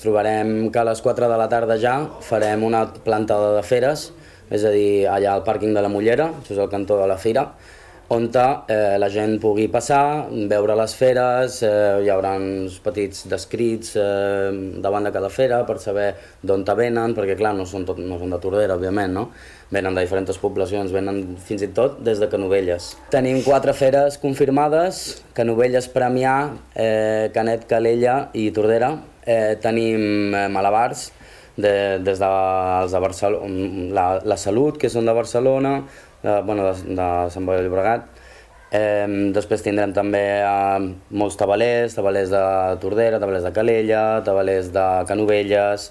Trobarem que a les 4 de la tarda ja farem una plantada de feres, és a dir, allà al pàrquing de la Mollera, això és el cantó de la fira, on la gent pugui passar, veure les feres, hi haurà uns petits descrits davant de cada fera per saber d'on venen, perquè clar, no són de Tordera, òbviament, no? Venen de diferents poblacions, venen fins i tot des de Canovelles. Tenim 4 feres confirmades: Canovelles, Premià, Canet, Calella i Tordera. Tenim malabars, des de Barcelona, la Salut, que són de Barcelona, de Sant Boi de Llobregat. Després tindrem també molts tabalers de Tordera, tabalers de Calella, tabalers de Canovelles,